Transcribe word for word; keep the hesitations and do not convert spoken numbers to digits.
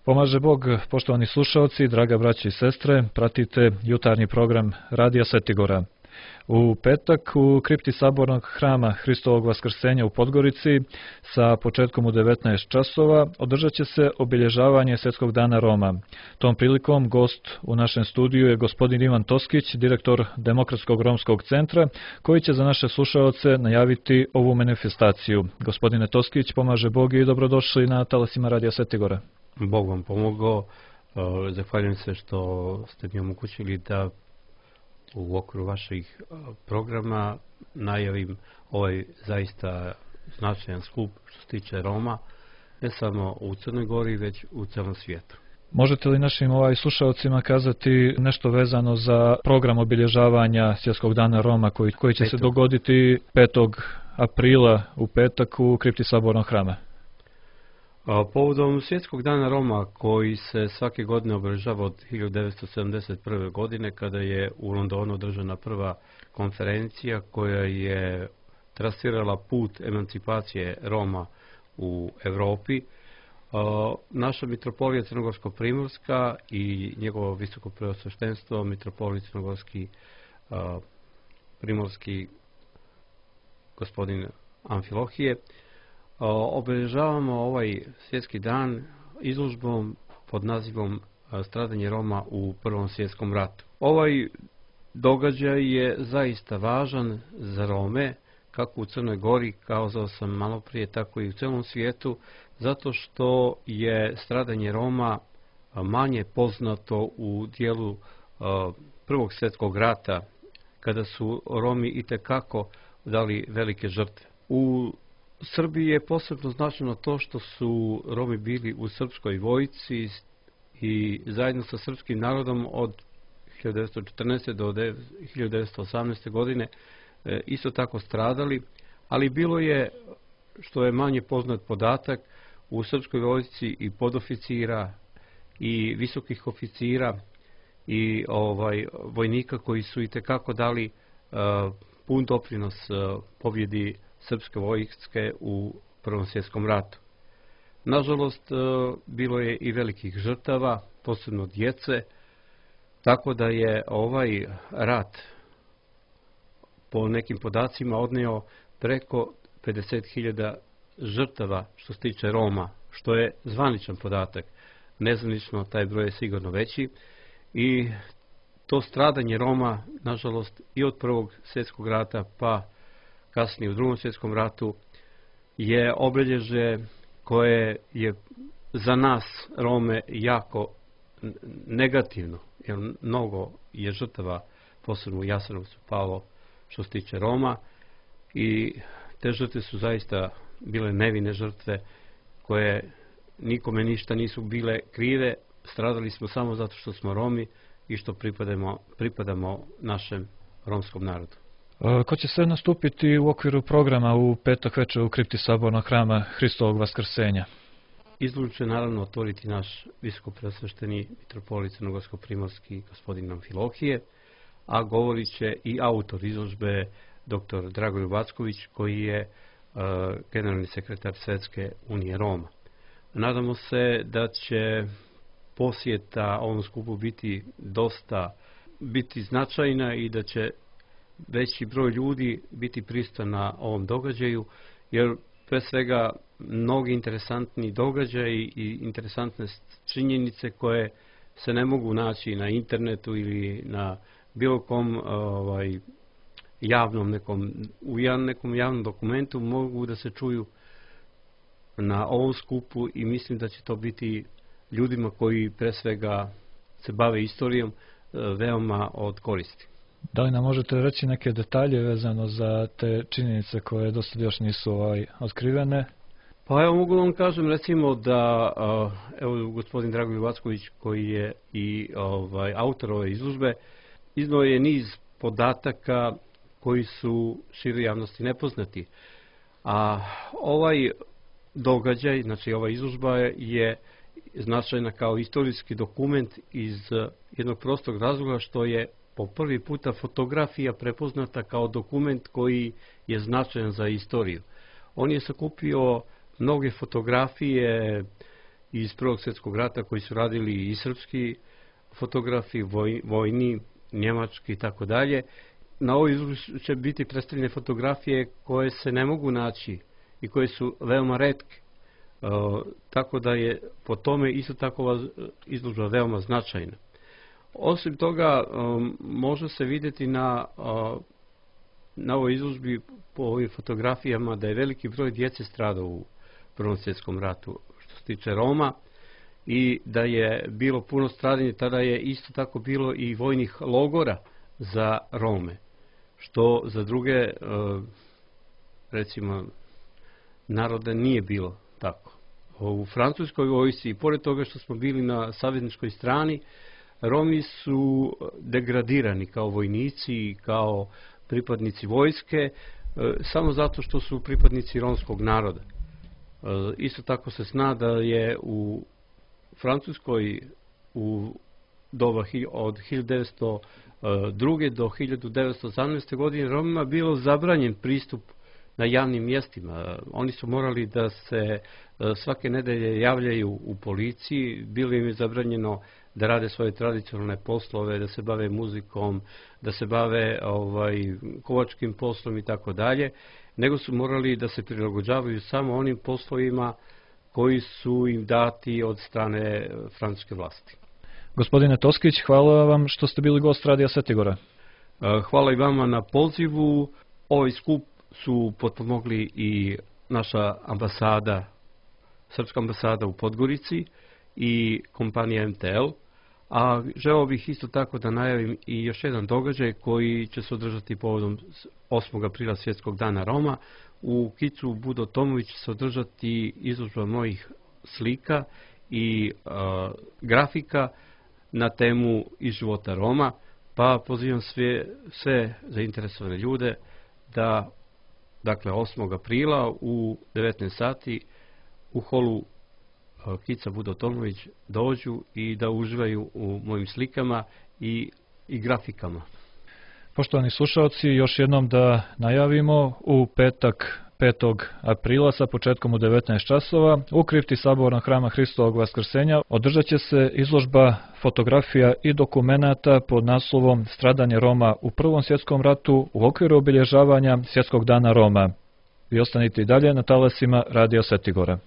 Pomaže Bog, poštovani slušalci, draga braća i sestre, pratite jutarnji program Radija Svetigora. U petak u kripti Sabornog hrama Hristovog Vaskrsenja u Podgorici sa početkom u devetnaest časova održat će se obilježavanje Svjetskog dana Roma. Tom prilikom gost u našem studiju je gospodin Ivan Toskić, direktor Demokratskog romskog centra, koji će za naše slušaoce najaviti ovu manifestaciju. Gospodine Toskić, pomaže Bog i dobrodošli na talasima Radija Svetigora. Bog vam pomogao. Zahvaljujem se što ste mi omogućili da u okviru vaših programa najavim ovaj zaista značajan skup što se tiče Roma, ne samo u Crnoj Gori, već u celom svijetu. Možete li našim ovaj slušalcima kazati nešto vezano za program obilježavanja Svjetskog dana Roma koji, koji će Petog. se dogoditi petog aprila u petak u kripti Sabornog hrama? Povodom Svjetskog dana Roma, koji se svake godine obilježava od hiljadu devetsto sedamdeset prve. godine, kada je u Londonu održana prva konferencija koja je trasirala put emancipacije Roma u Europi, naša mitropolija Crnogorsko-Primorska i njegovo visoko preosveštenstvo mitropolija Crnogorski Primorski gospodin Amfilohije, obilježavamo ovaj svjetski dan izložbom pod nazivom Stradanje Roma u Prvom svjetskom ratu. Ovaj događaj je zaista važan za Rome, kako u Crnoj Gori, kazao sam malo prije, tako i u celom svijetu, zato što je stradanje Roma manje poznato u dijelu Prvog svjetskog rata, kada su Romi itekako dali velike žrtve. U Srbiji je posebno značajno to što su Romi bili u srpskoj vojsci i zajedno sa srpskim narodom od hiljadu devetsto četrnaeste. do hiljadu devetsto osamnaeste. godine isto tako stradali, ali bilo je, što je manje poznat podatak, u srpskoj vojsci i podoficira i visokih oficira i ovaj vojnika koji su itekako dali uh, pun doprinos uh, pobjedi srpske vojske u Prvom svjetskom ratu. Nažalost, bilo je i velikih žrtava, posebno djece, tako da je ovaj rat po nekim podacima odneo preko pedeset hiljada žrtava što se tiče Roma, što je zvaničan podatak. Nezvanično taj broj je sigurno veći i to stradanje Roma, nažalost, i od Prvog svjetskog rata pa kasnije u Drugom svjetskom ratu je obilježje koje je za nas Rome jako negativno, jer mnogo je žrtava, posebno u Jasenovcu, palo što se tiče Roma i te žrtve su zaista bile nevine žrtve koje nikome ništa nisu bile krive. Stradali smo samo zato što smo Romi i što pripadamo, pripadamo našem romskom narodu. Ko će sve nastupiti u okviru programa u petak večer u kripti Sabornog hrama Hristovog Vaskrsenja? Izložbu će naravno otvoriti naš visoko preosvešteni mitropolit Crnogorsko-Primorski gospodin Amfilohije, a govorit će i autor izložbe doktor Dragoljub Vacković, koji je uh, generalni sekretar Svjetske unije Roma. Nadamo se da će posjeta ovom skupu biti dosta biti značajna i da će veći broj ljudi biti prisutan na ovom događaju, jer pre svega mnogi interesantni događaji i interesantne činjenice koje se ne mogu naći na internetu ili na bilo kom ovaj, javnom nekom, u nekom javnom dokumentu, mogu da se čuju na ovom skupu i mislim da će to biti ljudima koji pre svega se bave istorijom veoma od koristi. Da li nam možete reći neke detalje vezano za te činjenice koje do sada još nisu ovaj, otkrivene? Pa evo, mogu vam kažem recimo da evo, gospodin Dragoljub Vacković, koji je i ovaj, autor ove izložbe, iznio je niz podataka koji su široj javnosti nepoznati. A ovaj događaj, znači ova izložba je značajna kao istorijski dokument iz jednog prostog razloga što je po prvi puta fotografija prepoznata kao dokument koji je značajan za istoriju. On je sakupio mnoge fotografije iz Prvog svjetskog rata koji su radili i srpski fotografi, voj, vojni, njemački i tako dalje. Na ovoj izložbi će biti predstavljene fotografije koje se ne mogu naći i koje su veoma retke. E, tako da je po tome isto tako izložba veoma značajna. Osim toga, e, može se vidjeti na, e, na ovoj izložbi po ovim fotografijama da je veliki broj djece stradao u Prvom svjetskom ratu što se tiče Roma i da je bilo puno stradanja. Tada je isto tako bilo i vojnih logora za Rome, što za druge, recimo, narode nije bilo tako. U francuskoj vojsci, pored toga što smo bili na savezničkoj strani, Romi su degradirani kao vojnici, kao pripadnici vojske, samo zato što su pripadnici romskog naroda. Isto tako se zna da je u Francuskoj u doba od hiljadu devetsto druge do hiljadu devetsto osamnaeste. godine Romima bilo zabranjen pristup na javnim mjestima. Oni su morali da se svake nedelje javljaju u policiji, bilo im je zabranjeno da rade svoje tradicionalne poslove, da se bave muzikom, da se bave ovaj, kovačkim poslom i tako dalje, nego su morali da se prilagođavaju samo onim poslovima koji su im dati od strane francuske vlasti. Gospodine Toskić, hvala vam što ste bili gost Radija Svetigora. Hvala i vama na pozivu. Ovaj skup su potpomogli i naša ambasada, srpska ambasada u Podgorici i kompanija M T L, a želeo bih isto tako da najavim i još jedan događaj koji će se održati povodom osmog aprila Svjetskog dana Roma. U kicu Budo Tomović će se održati izložba mojih slika i a, grafika na temu iz života Roma, pa pozivam sve, sve zainteresovane ljude da, dakle, osmog aprila u devetnaest sati u holu Kica Budo Tomović dođu i da uživaju u mojim slikama i, i grafikama. Poštovani slušalci, još jednom da najavimo, u petak petog aprila sa početkom u devetnaest časova u kripti Sabornog hrama Hristovog Vaskrsenja održat će se izložba fotografija i dokumenata pod naslovom Stradanje Roma u Prvom svjetskom ratu u okviru obilježavanja Svjetskog dana Roma. Vi ostanite i dalje na talasima Radija Svetigora.